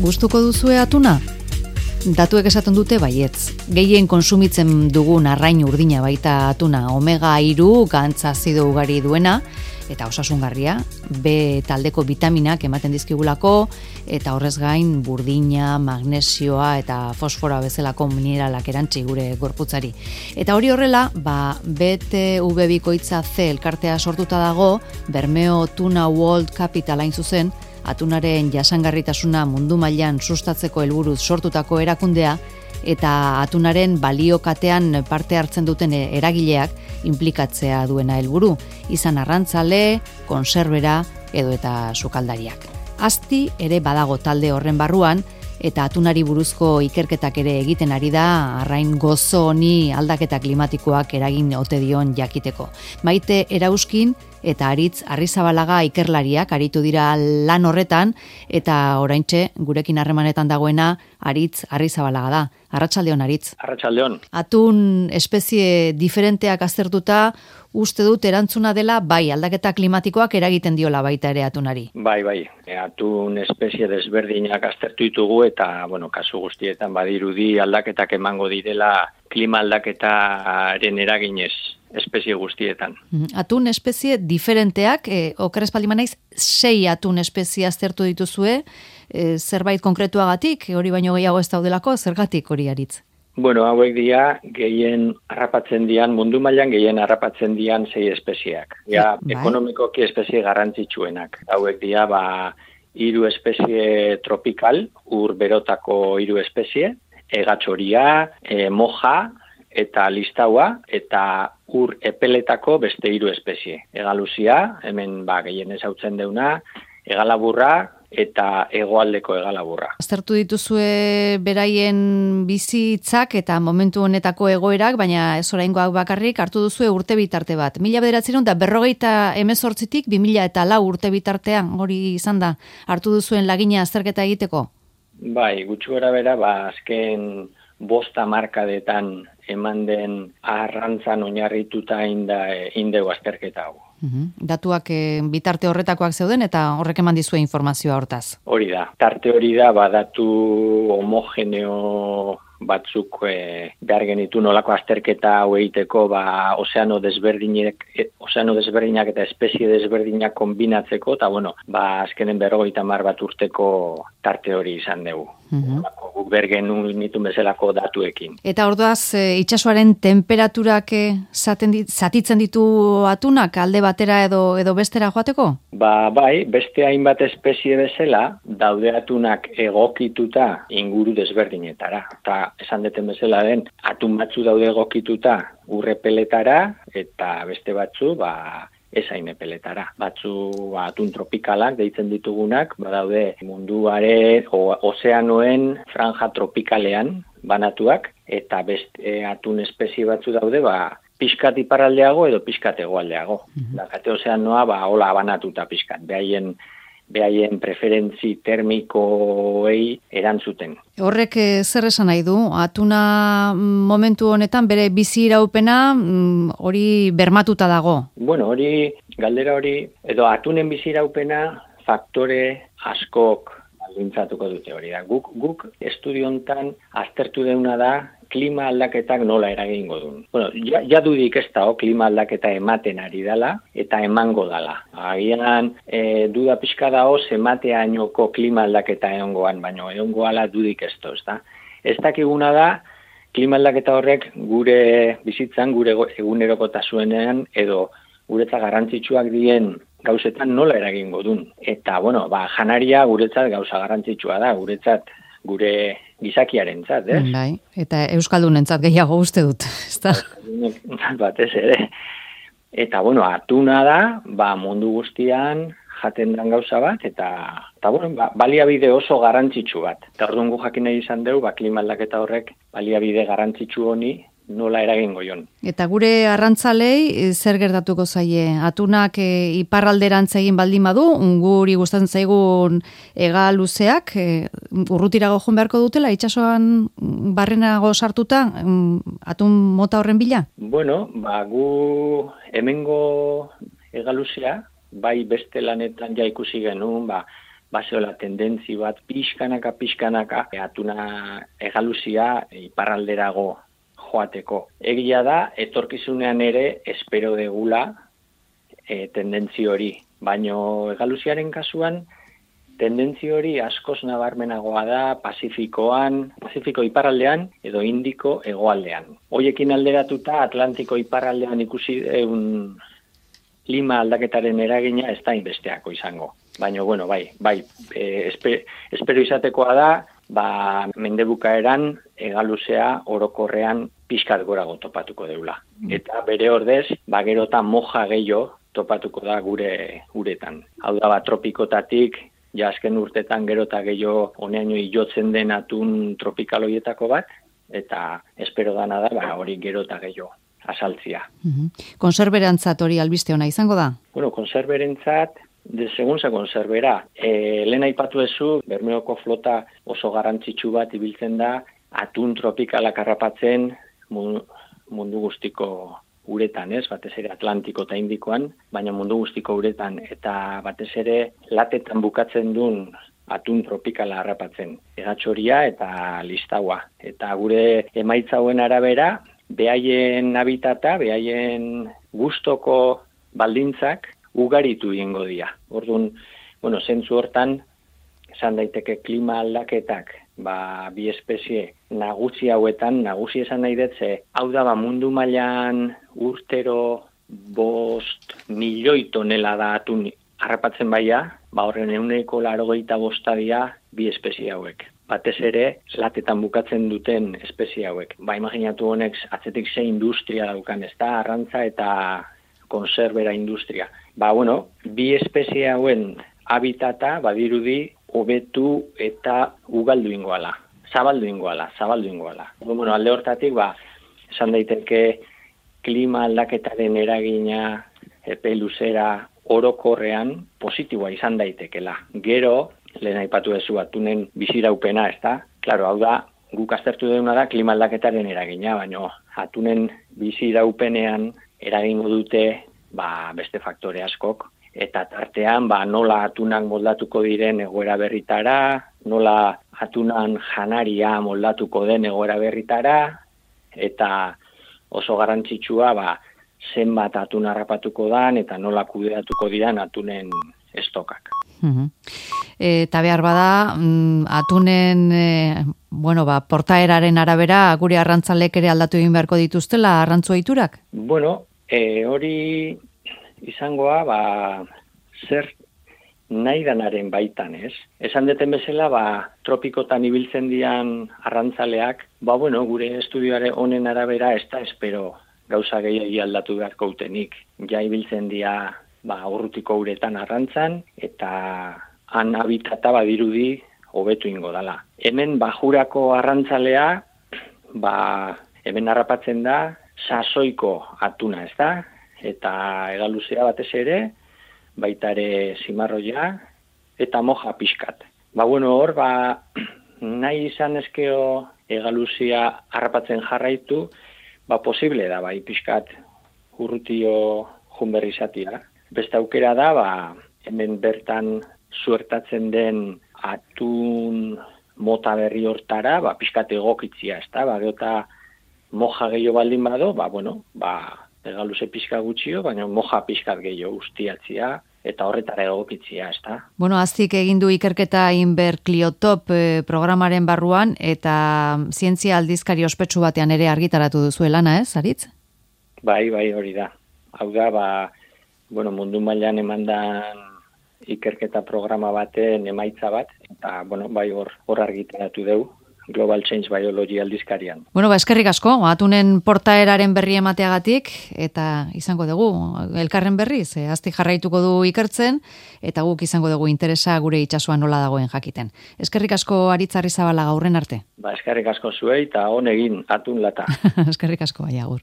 Gustuko duzue atuna? Datuek esaten dute baietz. Gehien kontsumitzen dugun arrain urdina baita atuna, omega 3 gantz azido ugari duena, eta osasungarria, B taldeko vitaminak ematen dizkigulako, eta horrez gain burdina, magnesioa eta fosfora bezalako mineralak erantzi gure gorputzari. Eta hori horrela, BTV bikoitza C elkartea sortuta dago, Bermeo Tuna World Capital hain zuzen, atunaren jasangarritasuna mundu mailan sustatzeko helburuz sortutako erakundea, eta atunaren baliokatean parte hartzen duten eragileak inplikatzea duena helburu, izan arrantzale, konserbera edo eta sukaldariak. Asti ere badago talde horren barruan, eta atunari buruzko ikerketak ere egiten ari da arrain gozo honi aldaketa klimatikoak eragin ote dion jakiteko. Maite Erauskin eta Aritz Arrizabalaga ikerlariak aritu dira lan horretan, eta oraintxe gurekin harremanetan dagoena Aritz Arrizabalaga da. Arratsaldeon, Aritz. Arratsaldeon. Atun espezie diferenteak aztertuta, uste dut erantzuna dela bai aldaketa klimatikoak eragiten diola baita ere atunari. Bai. Atun espezie desberdinak aztertu ditugu eta, kasu guztietan badirudi aldaketak emango direla klima aldaketaren eraginez espezie guztietan. Atun espezie diferenteak, okeres paldiman naiz, 6 atun espezie aztertu dituzue, zerbait konkretuagatik, hori baino gehiago ez daudelako, zergatik hori, Aritz? Hauek dira gehien harrapatzen dian, mundu mailan gehien harrapatzen dian 6 espezieak. Ekonomikoki espezie garrantzitsuenak. Hauek dira 3 espezie tropikal, ur berotako 3 espezie, egatxoria, moja eta listaua, eta ur epeletako beste 3 espezie. Egaluzia, hemen gehien ezautzen deuna, egalaburra, eta hegoaldeko egalaburra. Aztertu dituzue beraien bizitzak eta momentu honetako egoerak, baina ez oraingoak bakarrik hartu duzue urte bitarte bat. 1958tik 2004 urte bitartean hori izan da, hartu duzuen lagina azterketa egiteko? Bai, gutxi gorabehera, azken 5 hamarkadetan eman den arrantzan oinarrituta indegu azterketa hau. Datuak bitarte horretakoak zeuden eta horrek eman dizue informazioa hortaz. Hori da. Tarte hori da datu homogeneo batzuk behar genitu nolako azterketa hau egiteko ozeano desberdinak eta espezie desberdinak kombinatzeko eta azkenen 50 bat urteko tarte hori izan dugu. Guk bergen nitun bezalako datuekin. Eta orduaz itsasoaren temperaturak zatitzen ditu atunak alde batera edo bestera joateko? Bai, beste hainbat espezie bezala daude atunak egokituta inguru desberdinetara. Eta esan deten bezala den atun batzu daude egokituta urrepeletara eta beste batzu ezain epeletara. Batzu atun tropikalak deitzen ditugunak, badaude munduare ozeanoen franja tropikalean banatuak, eta beste atun espezie batzu daude pixkat iparraldeago edo pixkat hegoaldeago. Dakate ozeanoa hola banatuta pixkat, behaien preferentzi termikoei erantzuten. Horrek zer esan nahi du? Atuna momentu honetan bere bizi iraupena hori bermatuta dago? Galdera hori, edo atunen bizi iraupena faktore askok baldintzatuko dute hori da. Guk estudio hontan aztertu deuna da klima aldaketak nola eragingo duen. Jadudik ez da, klima aldaketa ematen ari dela eta emango dela. Agian duda pixka dago emateainoko klima aldaketa egongoan, baina egongoala dudik ez da. Ez dakiguna da, klima aldaketa horrek gure bizitzan, gure egunerokotasunean edo guretzat garrantzitsuak dien gauzetan nola eragingo duen. Eta, janaria guretzat gauza garrantzitsua da, guretzat gure gizakiarentzat, ez? Bai, eta euskaldunentzat gehiago uste dut, ezta? Batez ere. Eta, atuna da, mundu guztian jaten den gauza bat, eta baliabide oso garrantzitsu bat. Eta orduan gu jakin nahi izan dugu, klima aldaketa horrek baliabide garrantzitsu honi nola eragingo jon. Eta gure arrantzalei zer gertatuko zaie? Atunak iparralderantz egin baldin badu, guri gustatzen zaigun ega luzeak, urrutirago joan beharko dutela, itsasoan barrenago sartuta, atun mota horren bila? Gu hemengo ega luzea, bai beste lanetan ja ikusi genuen, baseola tendentzi bat pixkanaka atuna egaluzia iparralderago joateko. Egia da, etorkizunean ere espero degula tendentzi hori, baino egaluziaren kasuan tendentzi hori askoz nabarmenagoa da Pazifiko iparraldean edo Indiko hegoaldean. Hoiekin alderatuta Atlantiko iparraldean ikusi klima aldaketaren eragina ez da inbesteako izango. Baina, bueno, espero izatekoa da, mendebukaeran egaluzea orokorrean pixkat gorago topatuko deula. Eta bere ordez, gero eta moja gehiago topatuko da guretan. Hau da, tropikotatik, azken urtetan gero eta gehiago honeaino jotzen den atun tropikaloietako bat, eta espero dana da, hori gero eta gehiago asaltzia. Konserberantzat hori albiste ona izango da? Bueno, konserberentzat, segun ze konserbera. Lehen aipatu ezu, Bermeoko flota oso garrantzitsu bat ibiltzen da, atun tropikalak harrapatzen mundu guztiko uretan, batez ere Atlantiko eta Indikoan, baina mundu guztiko uretan, eta batez ere latetan bukatzen duen atun tropikala harrapatzen. Egatxoria eta listaua. Eta gure emaitza hauen arabera, behaien habitata, behaien gustoko baldintzak ugaritu egingo dira. Orduan, zentzu hortan, esan daiteke klima aldaketak, bi espezie nagusi hauetan, nagusi esan nahi dut, hau da mundu mailan urtero 5 milioi tonelada atun harrapatzen baia, horren 185 dira bi espezie hauek. Batez ere, latetan bukatzen duten espezie hauek. Imaginatu honek atzetik ze industria daukan, ez da, arrantza eta konserbera industria. Bi espezie hauen habitata badirudi hobetu eta ugaldu ingoala, zabaldu ingoala. Alde hortatik, esan daiteke klima aldaketaren eragina epe luzera orokorrean positiboa izan daitekela. Gero, lehen aipatu duzu atunen biziraupena, ez da? Klaro, hau da, guk aztertu duguna da klima aldaketaren eragina, baina atunen biziraupenean eragingo dute beste faktore askok, eta tartean nola atunak moldatuko diren egoera berritara, nola atunan janaria moldatuko den egoera berritara, eta oso garrantzitsua zenbat atun harrapatuko dan eta nola kudeatuko diran atunen estokak. Eta behar bada, atunen portaeraren arabera gure arrantzalek ere aldatu egin beharko dituztela arrantzua iturak? Hori izangoa, zer nahi danaren baitan, ez? Esan deten bezala, tropikotan ibiltzen dian arrantzaleak, gure estudioare honen arabera ez da espero gauza gehiagi aldatu beharko utenik. Ja ibiltzen dia, urrutiko uretan arrantzan, eta han habitata badirudi hobetu ingo dala. Hemen bajurako arrantzalea, hemen harrapatzen da, sasoiko atuna, ez da? Eta egaluzea batez ere, baita ere zimarroia, eta moja pixkat. Hor, nahi izan ezkeo egaluzia harrapatzen jarraitu, posible da, pixkat urrutio junberri izatea. Beste aukera da, hemen bertan suertatzen den atun mota berri hortara, pixkat egokitzia, ez da? Eta moja gehiago baldin bado, egaluze pixka gutxio, baina moja pixkat gehiago ustiatzia, eta horretara egokitzia, ez da? Aztik egin du ikerketa Inberkliotop programaren barruan, eta zientzia aldizkari ospetsu batean ere argitaratu duzuelana, ez, Aritz? Bai, hori da. Hau da, mundu mailan emandan ikerketa programa baten emaitza bat, eta, hor argitaratu dugu. Global Change Biology aldizkarian. Eskerrik asko, atunen portaeraren berri emateagatik, eta izango dugu, elkarren berriz, azti jarraituko du ikertzen, eta guk izango dugu interesa gure itsasoan nola dagoen jakiten. Eskerrik asko Aritz Arrizabalaga, aurren arte. Eskerrik asko zuei, eta honegin atun lata. Eskerrik asko, agur.